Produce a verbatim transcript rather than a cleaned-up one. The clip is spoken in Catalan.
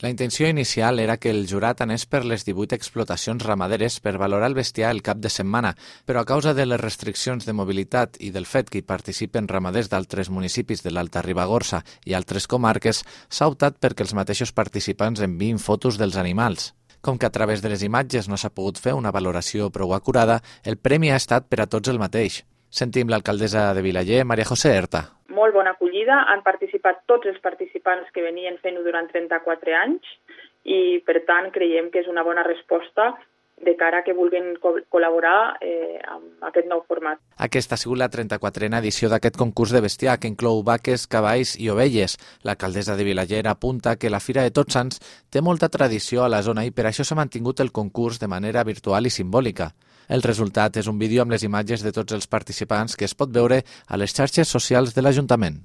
La intenció inicial era que el jurat anés per les divuit explotacions ramaderes per valorar el bestiar el cap de setmana, però a causa de les restriccions de mobilitat i del fet que hi participen ramaders d'altres municipis de l'Alta Ribagorça i altres comarques, s'ha optat perquè els mateixos participants enviïn fotos dels animals. Com que a través de les imatges no s'ha pogut fer una valoració prou acurada, el premi ha estat per a tots el mateix. Sentim l'alcaldessa de Vilaller, Maria José Erta. Molt bona acollida, han participat tots els participants que venien fent-ho durant trenta-quatre anys i, per tant, creiem que és una bona resposta de cara a que vulguin co- col·laborar eh, amb aquest nou format. Aquesta ha sigut la trenta-quatrena edició d'aquest concurs de bestiar, que inclou vaques, cavalls i ovelles. L'alcaldessa de Vilaller apunta que la Fira de Tots Sants té molta tradició a la zona i per això s'ha mantingut el concurs de manera virtual i simbòlica. El resultat és un vídeo amb les imatges de tots els participants que es pot veure a les xarxes socials de l'Ajuntament.